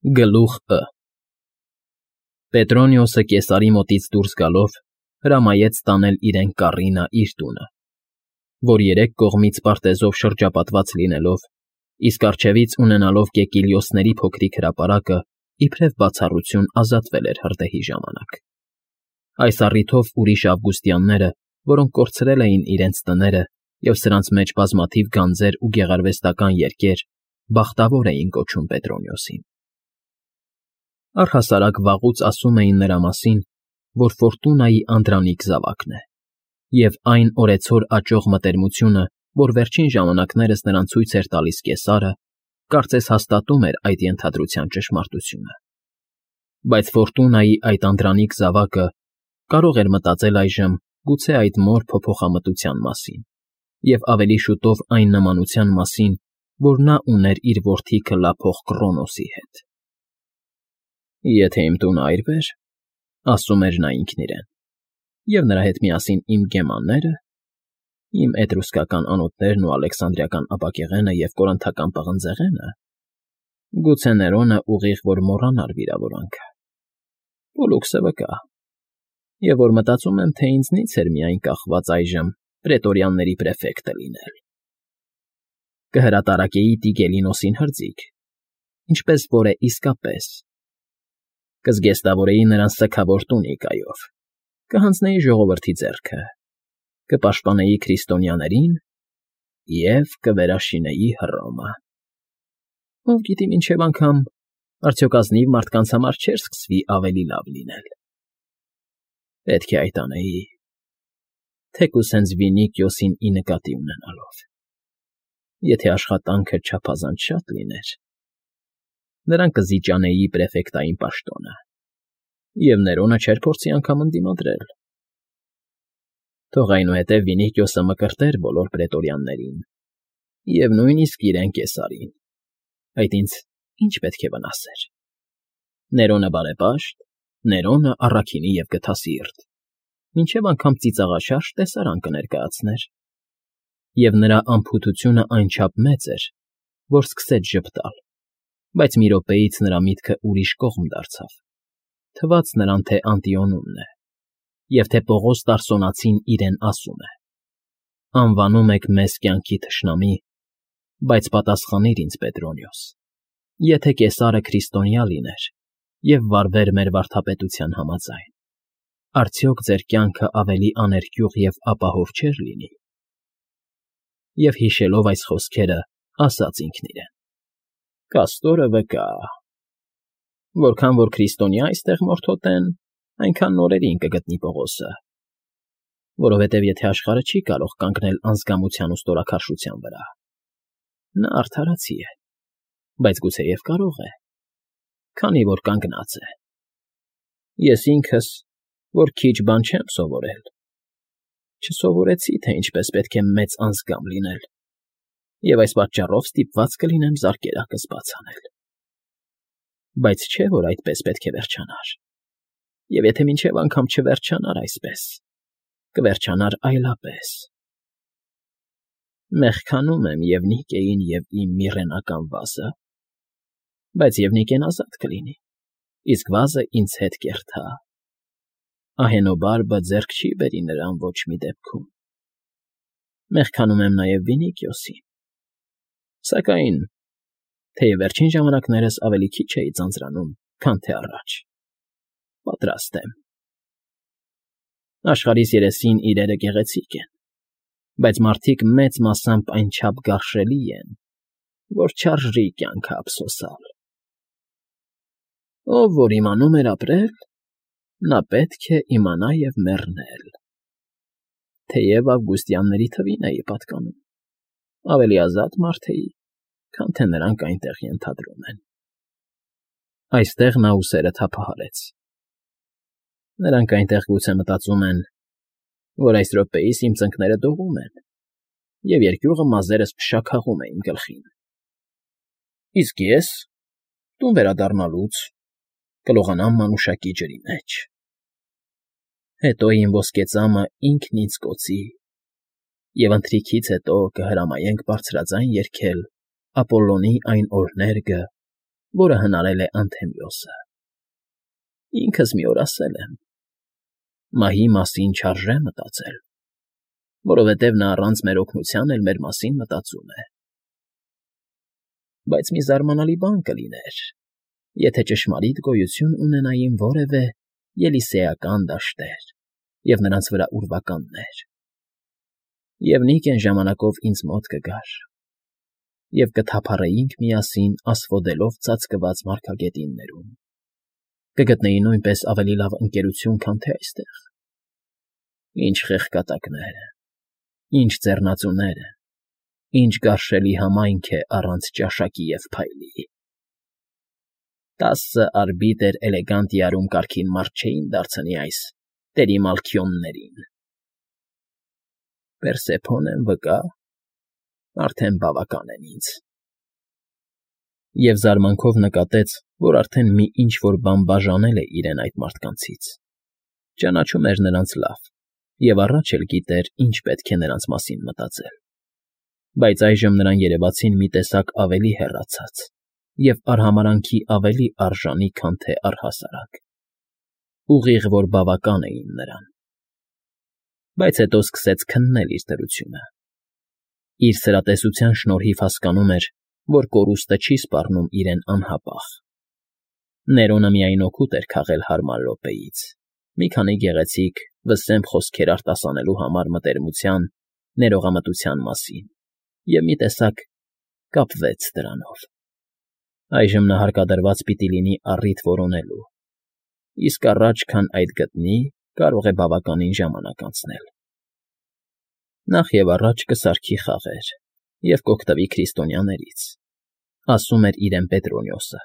Գլուխ Պետրոնիոսը կեսարի մոտից դուրս գալով հրամայեց տանել իրեն Կառինա իր տունը, որ երեք կողմից պարտեզով շրջապատված լինելով, իսկ առջևից ունենալով Կեկիլիոսների փոքրիկ հրապարակը, իբրև բացառություն ազատվել էր հրդեհի ժամանակ։ Այս առիթով ուրիշ ավգուստյանները, որոնք կորցրել էին իրենց տները և սրանց մեջ բազմաթիվ գանձեր ու գեղարվեստական երգեր, բախտավոր էին կոչում Պետրոնիոսին։ Առհասարակ վաղուց ասում էին նրա մասին, որ Ֆորտունայի անդրանիկ զավակն է, և այն օրեցօր աճող մտերմությունը, որ վերջին ժամանակներս նրան ցույց էր տալիս կեսարը, կարծես հաստատում էր այդ ենթադրության ճշմարտությունը։ Բայց Ֆորտունայի այդ անդրանիկ զավակը կարող էր մտածել այժմ գուցե այդ մոր փոփոխամտության մասին և ավելի շուտով այն նմանության մասին, որ նա ուներ իր որդի քլափող Կռոնոսի հետ։ «Եթե իմ տունը այրվեր,֊ ասում էր նա ինքն իրեն,֊ և նրա հետ միասին իմ գեմանները, իմ էտրուսկական անոթներն ու ալեքսանդրիական ապակեղենը և կորինթական պղնձեղենը, գուցե Ներոնը ուղիղ որ մոռանար վիրավորանքը, Պոլլուքսը վկա, և որ մտածում եմ, թե ինձնից էր միայն կախված այժմ պրետորյանների պրեֆեկտը լինել։ Կհրատարակեի Տիգելինոսին հրձիկ, ինչպես որ է իսկապես, կզգեստավորեի նրան սգավոր տունիկայով, կհանձնեի ժողովրդի ձեռքը, կպաշտպանեի քրիստոնյաներին և կվերաշինեի Հռոմը։ Ով գիտի մինչև անգամ արդյոք ազնիվ մարդկանց համար չէր սկսվի ավելի լավ լինել։ Պետք է այդ անեի, թեկուզ հենց Վինիկիոսին ի նկատի ունենալով։ Եթե աշխատանքը չափազանց շատ լիներ, նրան կզիջանեի պրեֆեկտային պաշտոնը, և Ներոնը չէր փորձի անգամ ընդդիմադրել։ Թող այնուհետև Վինիկիոսը մկրտեր բոլոր պրետորյաններին և նույնիսկ իրեն Կեսարին, այդ ինձ ինչ պետք է վնասեր։ Ներոնը բարեպաշտ, Ներոնը առաքինի և գթասիրտ, մինչև անգամ ծիծաղաշարժ տեսարան կներկայացներ, և նրա անփութությունը այնչափ մեծ էր, որ սկսեց ժպտալ, բայց մի րոպեից նրա միտքը ուրիշ կողմ դարձավ, թվաց նրան, թե Անտիոնումն է, և թե Պողոս Տարսոնացին իրեն ասում է. «Անվանում եք մեզ կյանքի թշնամի, բայց պատասխանիր ինձ, Պետրոնիոս, եթե Կեսարը քրիստոնյա լիներ և վարվեր մեր վարդապետության համաձայն, արդյոք ձեր կյանքը ավելի աներկյուղ և ապահով չէր լինի»։ Եվ հիշելով այս խոսքերը, ասաց ինքն իրեն. «Կաստորը վկա. որքան որ քրիստոնյա այստեղ մորթոտեն, այնքան նորերին կգտնի Պողոսը, որովհետև եթե աշխարհը չի կարող կանգնել անձկամության ու ստորաքարշության վրա, նա արդարացի է, բայց գուցեև կարող է, քանի որ կանգնած է։ Ես ինքս, որ քիչ բան չեմ սովորել, չսովորեցի, թե ինչպես պետք է մեծ անձկամ լինել, և այս պատճառով ստիպված կլինեմ զարկերակս բաց անել։ Բայց չէ՞ որ այդպես պետք է վերջանար, և եթե մինչև անգամ չվերջանար այսպես, կվերջանար այլապես։ Մեղքանում եմ և Նիկեին և իմ Միրենական վազը, բայց Եվնիկեն ազատ կլինի, իսկ վազը ինձ հետ կերթա։ Ահենոբարբը ձեռք չի բերի նրան ոչ մի դեպքում։ Մեղքանում եմ նաև Վինիկիոսին, սակայն, թեև վերջին ժամանակներս ավելի քիչ էի ձանձրանում, քան թե առաջ, պատրաստ եմ։ Աշխարհիս երեսին իրերը գեղեցիկ են, բայց մարդիկ մեծ մասամբ այնչափ գարշելի են, որ չարժի կյանքը ափսոսալ։ Ով որ իմանում էր ապրել, նա պետք է իմանա և մեռնել։ Թեև ավգուստյանների թվին էի պատկանում, ավելի ազատ մարդ էի, քան թե նրանք այնտեղ ենթադրում են։ Այստեղ նա ուսերը թափահարեց։ Նրանք այնտեղ գուցե մտածում են, որ այս րոպեիս իմ ծնկները դողում են, և երկյուղը մազերս փշաքաղում է իմ գլխին։ Իսկ ես, տուն վերադառնալուց, կլողանամ մանուշակի ջրի մեջ։ Հետո իմ ոսկե ծամը ինքն ինձ կօծի, և ընթրիքից հետո կհրամայենք բարձրաձայն երգել Ապոլլոնի այն օրհներգը, որը հնարել է Անթեմիոսը։ Ինքս մի օր ասել եմ. մահի մասին չարժե մտածել, որովհետև նա առանց մեր օգնության էլ մեր մասին մտածում է։ Բայց մի զարմանալի բան կլիներ, եթե ճշմարիտ գոյություն ունենային որևէ ելիսեական դաշտեր և նրանց վրա ուրվականներ, և Նիկեն ժամանակով ինձ մոտ կգար, և կթափառեինք միասին ասֆոդելով ծածկված մարգագետիններում, կգտնեի նույնպես ավելի լավ ընկերություն, քան թե այստեղ։ Ինչ խեղկատակներ, ինչ ձեռնածուներ, ինչ գարշելի համայնք է առանց ճաշակի և փայլի։ 10 արբիտր էլեգանտիարում կարգին մարդ չէին դարձնի այս տերիմալքիոններին։ Պերսեփոնեն վկա, արդեն բավական են ինձ։ Եվ զարմանքով նկատեց, որ արդեն մի ինչ֊որ բան բաժանել է իրեն այդ մարդկանցից, ճանաչում էր նրանց լավ և առաջ էլ գիտեր, ինչ պետք է նրանց մասին մտածել, բայց այժմ նրան երևացին մի տեսակ ավելի հեռացած և արհամարհանքի ավելի արժանի, քան թե առհասարակ, ուղիղ որ բավական էին նրան։ Բայց հետո սկսեց քննել իր դրությունը։ Իր սրատեսության շնորհիվ հասկանում էր, որ կորուստը չի սպառնում իրեն անհապաղ։ Ներոնը միայն օգուտ էր քաղել հարմար րոպեից, մի քանի գեղեցիկ, վսեմփ խոսքեր արտասանելու համար մտերմության, ներողամտության մասին, և մի տեսակ կապվեց դրանով։ Այժմ նա հարկադրված պիտի լինի առիթ որոնելու, իսկ առաջ, քան այդ գտնի, կարող է բավականին ժամանակ անցնել։ Նախ և առաջ կսարքի խաղեր և կօգտվի քրիստոնյաներից, ասում էր իրեն Պետրոնիոսը։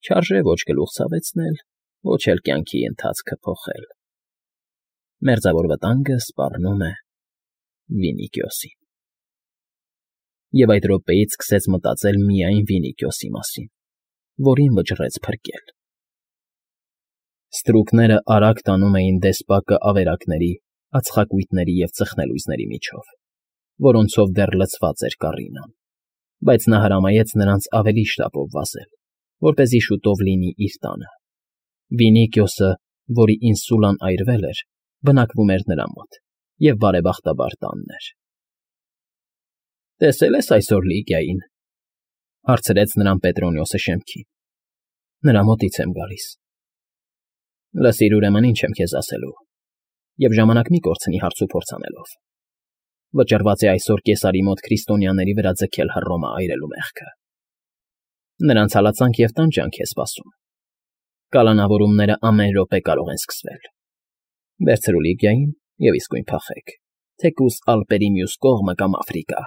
Չարժե ոչ գլուխ ցավեցնել, ոչ էլ կյանքի ընթացքը փոխել։ Մերձավոր վտանգը սպառնում է Վինիքիոսին։ Եվ այդ րոպեից սկսեց մտածել միայն Վինիքիոսի մասին, որին վճռեց փրկել։ Ստրուկները արագ տանում էին դեսպակը ավերակների, ածխակույտների և ծխնելույզների միջով, որոնցով դեռ լցված էր կառինան, բայց նա հրամայեց նրանց ավելի շտապով վազել, որպեսզի շուտով լինի իր տանը։ Վինիքիոսը, որի ինսուլան այրվել էր, բնակվում էր նրա մոտ և բարեբախտաբար տանն էր։ «Տեսե՞լ ես այսօր Լիգիային,֊ հարցրեց նրան Պետրոնիոսը շեմքին։ Նրա մոտից եմ գալիս։ Լսիր, ուրեմն, ինչ եմ քեզ ասելու, և ժամանակ մի կորցնի հարցուփորձ անելով։ Վճռված է այսօր կեսարի մոտ քրիստոնյաների վրա ձգել Հռոմը այրելու մեղքը։ Նրանց հալածանք և տանջանք է սպասում։ Կալանավորումները ամեն րոպե կարող են սկսվել։ Վերցրու Լիգիային և իսկույն փախեք, թեկուզ Ալպերի մյուս կողմը կամ Աֆրիկա։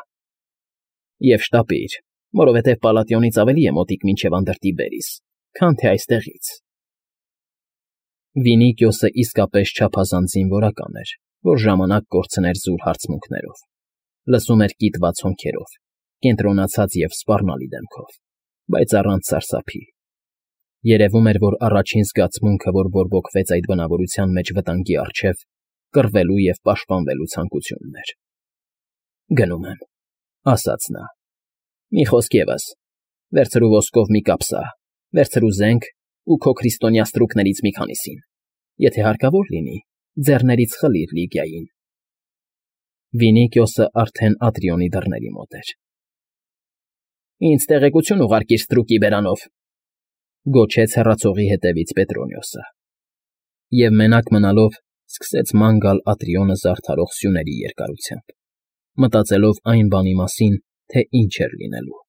Եվ շտապիր, որովհետև Պալատիոնից ավելի է մոտիկ մինչև Անդրտիբերիս, քան թե այստեղից։ Վինիքիոսը իսկապես չափազանց զինվորական էր, որ ժամանակ կորցներ զուր հարցմունքներով, լսում էր կիտված հոնքերով, կենտրոնացած և սպառնալի դեմքով, բայց առանց սարսափի։ Երևում էր, որ առաջին զգացմունքը, որ բորբոքվեց այդ բնավորության մեջ վտանգի առջև, կռվելու և պաշտպանվելու ցանկությունն էր։ «Գնում եմ,֊ ասաց նա,֊ մի խոսք ևս, վերցրու ոսկով մի կապսա, վերցրու զենք ու քո քրիստոնյա ստրուկներից մի քանիսին, եթե հարկավոր լինի, ձեռներից խլիր Լիգիային»։ Վինիքիոսը արդեն Ատրիոնի դռների մոտ էր։ «Ինձ տեղեկություն ուղարկիր ստրուկի բերանով,֊ գոչեց հեռացողի հետևից Պետրոնիոսը։ Եվ մենակ մնալով սկսեց ման գալ Ատրիոնը զարդարող սյուների երկարությամբ, մտածելով այն բանի մասին, թե ինչ էր լինելու։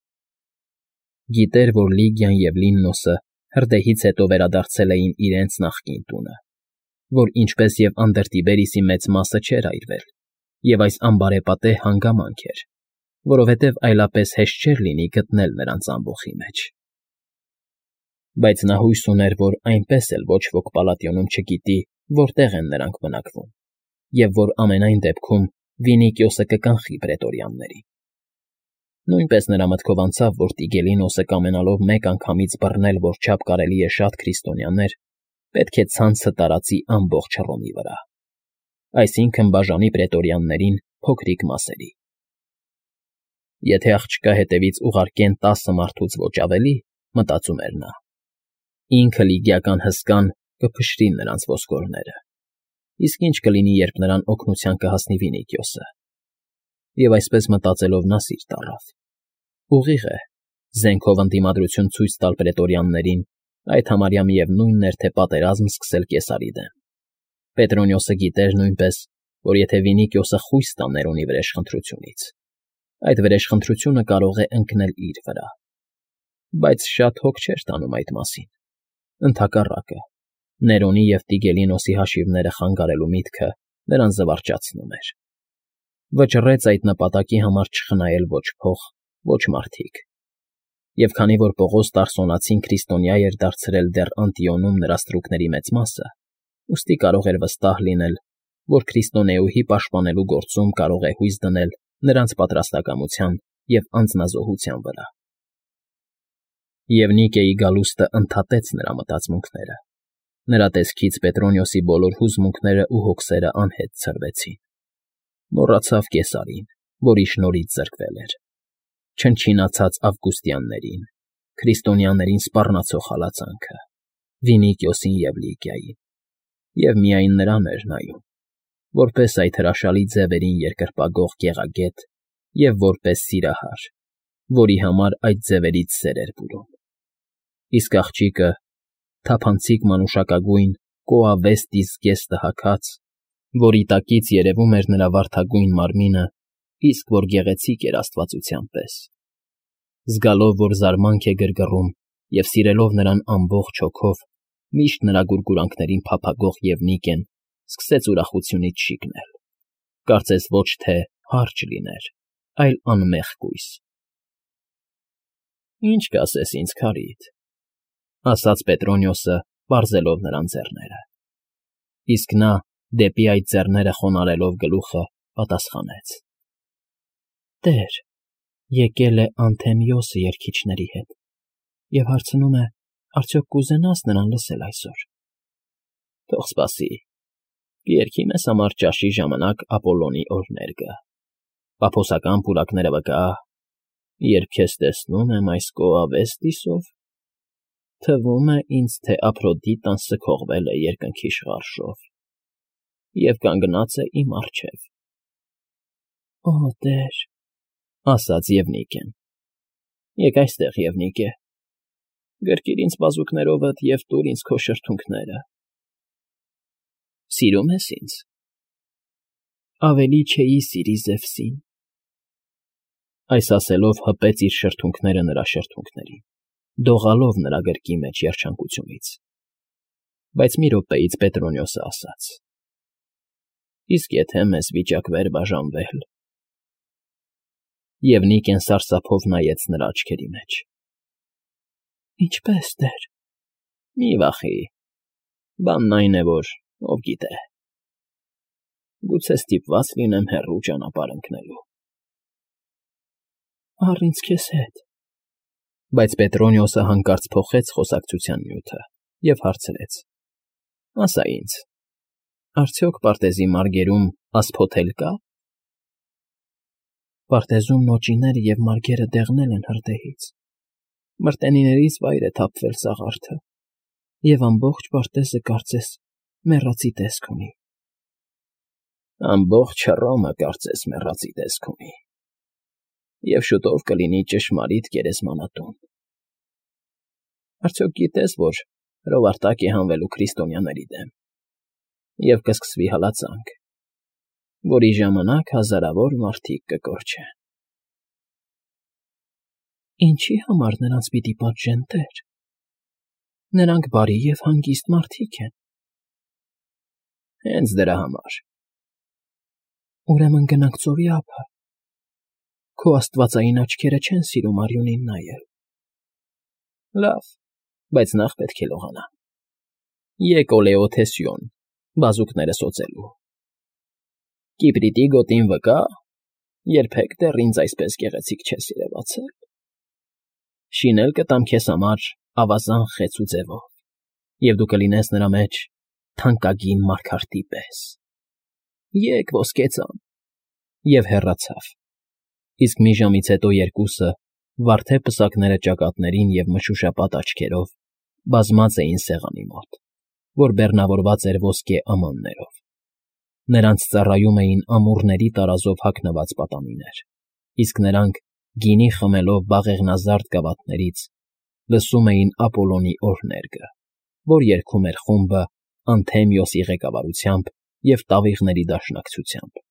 Գիտեր, որ Լիգիան և Լիննոսը հրդեհից հետո վերադարձել էին իրենց նախկին տունը, որ ինչպես և Անդրտիբերիսի մեծ մասը չէր այրվել, և այս անբարեպատե հանգամանք էր, որովհետև այլապես հեշտ չէր լինի գտնել նրանց ամբոխի մեջ։ Բայց նա հույս ուներ, որ այնպես էլ ոչ ոք Պալատիոնում չգիտի, որտեղ են նրանք բնակվում, և որ ամենայն դեպքում Վինիքիոսը կկանխի պրետորյաններին։ Նույնպես նրա մտքով անցավ, որ Տիգելինոսը կամենալով մեկ անգամից բռնել որչափ կարելի է շատ քրիստոնյաներ, պետք է ցանցը տարածի ամբողջ Հռոմի վրա, այսինքն բաժանի պրետորյաններին փոքրիկ մասերի։ Եթե աղջկա հետևից ուղարկեն 10 մարդուց ոչ ավելի, մտածում էր նա։ Ինքը լիգիական հսկան կփշրի նրանց ոսկորները, իսկ ինչ կլինի, երբ նրան օգնության կհասնի Վինիքիոսը։ Եվ այսպես մտածելով նա սիրտ առավ։ Ուղիղ է, զենքով ընդդիմադրություն ցույց տալ պրետորյաններին, այդ համարյա միևնույնն էր, թե պատերազմ սկսել Կեսարի դեմ։ Պետրոնիոսը գիտեր նույնպես, որ եթե Վինիքիոսը խույս տա Ներոնի վրեժխնդրությունից, այդ վրեժխնդրությունը կարող է ընկնել իր վրա։ Բայց շատ հոգ չէր տանում այդ մասին։ Ընդհակառակը, Ներոնի և Տիգելինոսի հաշիվները խանգարելու միտքը նրան զվարճացնում էր։ Վճռեց այդ նպատակի համար չխնայել ոչ փող, ոչ մարդիկ։ Եվ քանի որ Պողոս Տարսոնացին քրիստոնյա էր դարձրել դեռ Անտիոնում նրա ստրուկների մեծ մասը, ուստի կարող էր վստահ լինել, որ քրիստոնեուհի պաշտպանելու գործում կարող է հույս դնել նրանց պատրաստակամության և անձնազոհության վրա։ Եվ Նիկեի գալուստը ընդհատեց նրա մտածմունքները։ Նրա տեսքից Պետրոնիոսի բոլոր հուզմունքները ու հոգսերը անհետ ցրվեցին։ Մոռացավ Կեսարին, որի շնորհիվ զրկվել էր, չնչինացած Ավգուստյաններին, քրիստոնյաներին սպառնացող հալածանքը, Վինիքիոսին և Լիգիային, և միայն նրան էր նայում, որպես այդ հրաշալի ձևերին երկրպագող գեղագետ և որպես սիրահար, որի համար այդ ձևերից սեր էր բուրում։ Իսկ աղջիկը, թափանցիկ մանուշակագույն կոավեստի զգեստը հագած, որի տակից երևում էր նրա վարդագույն մարմինը, իսկ որ գեղեցիկ էր աստվածության պես։ Զգալով, որ զարմանք է գրգռում և սիրելով նրան ամբողջ հոգով, միշտ նրա գուրգուրանքներին փափագող Եվնիկեն սկսեց ուրախությունից շիկնել։ Կարծես ոչ թե հարճ լիներ, այլ անմեղ կույս։ «Ինչ կասես ինձ, Քարիտ,֊ ասաց Պետրոնիոսը, պարզելով նրան ձեռները։ Իսկ նա, դեպի այդ ձեռները խոնարհելով գլուխը, պատասխանեց. «Տեր, եկել է Անթեմիոսը երգիչների հետ և հարցնում է, արդյոք կուզենա՞ս նրան լսել այսօր»։ «Թող սպասի, կերգի մեզ համար ճաշի ժամանակ Ապոլոնի օրհներգը, պափոսական պուրակները վկա, երբ քեզ տեսնում եմ այս կոավեստիսով, թվում է ինձ, թե Ափրոդիտան սքողվել է երկնքի շղարշով և կանգնած է իմ առջև»։ «Օ, տեր,֊ ասաց Եվնիկեն,֊ եկ այստեղ, Եվնիկե, գրկիր ինձ բազուկներովդ և տուր ինձ քո շրթունքները»։ «Սիրում ես ինձ»։ «Ավելի չէի սիրի Զևսին»։ Այս ասելով հպեց իր շրթունքները նրա շրթունքներին, դողալով նրա գրկի մեջ երջանկությունից։ Բայց մի րոպեից Պետրոնիոսը ասաց. «Իսկ եթե մեզ վիճակվեր բաժանվել»։ Եվնիկեն սարսափով նայեց նրա աչքերի մեջ։ «Ինչպե՞ս, տեր»։ «Մի վախի, բանն այն է, որ, ով գիտե, գուցե ստիպված լինեմ հեռու ճանապարհ ընկնելու»։ «Առ ինձ քեզ հետ»։ Բայց Պետրոնիոսը հանկարծ փոխեց խոսակցության նյութը և հարցրեց. «Ասա ինձ, արդյոք պարտեզի մարգերում ասփոթ-էլ կա»։ «Պարտեզում նոճիները և մարգերը դեղնել են հրդեհից, մրտենիներից վայր է թափվել սաղարթը, և ամբողջ պարտեզը կարծես մեռածի տեսք ունի»։ «Ամբողջ Հռոմը կարծես մեռածի տեսք ունի, և շուտով կլինի ճշմարիտ գերեզմանատուն։ Արդյոք գիտես, որ հրովարտակ է հանվելու քրիստոնյաների դեմ, և կսկսվի հալածանք, որի ժամանակ հազարավոր մարդիկ կկորչեն»։ «Ինչի համար նրանց պիտի պատժեն, տեր։ Նրանք բարի և հանգիստ մարդիկ են»։ «Հենց դրա համար»։ «Ուրեմն գնանք ծովի ափը։ Քո աստվածային աչքերը չեն սիրում արյունին նայել»։ «Լավ, բայց նախ պետք է լողանամ։ Եկ Օլեոթեսիոն, բազուկները սոցելու։ Կիպրիտի գոտին վկա, երբեք դեռ ինձ այսպես գեղեցիկ չես երևացել։ Շինել կտամ քեզ համար ավազան խեցու ձևով, և դու կլինես նրա մեջ թանկագին մարգարտի պես։ Եկ, ոսկե ծամ»։ Եվ հեռացավ։ Իսկ մի ժամից հետո երկուսը, Վարդե պսակները ճակատներին և մշուշապատ աչքերով բազմած էին սեղանի մոտ, որ բեռնավորված էր ոսկե ամաններով. նրանց ծառայում էին ամուռների տարազով հագնված պատանիներ, իսկ նրանք, գինի խմելով բաղեղնազարդ գավաթներից, լսում էին Ապոլոնի օրհներգը, որ երգում էր խումբը Անթեմիոսի ղեկավարությամբ և տավիղների դաշնակցությամբ։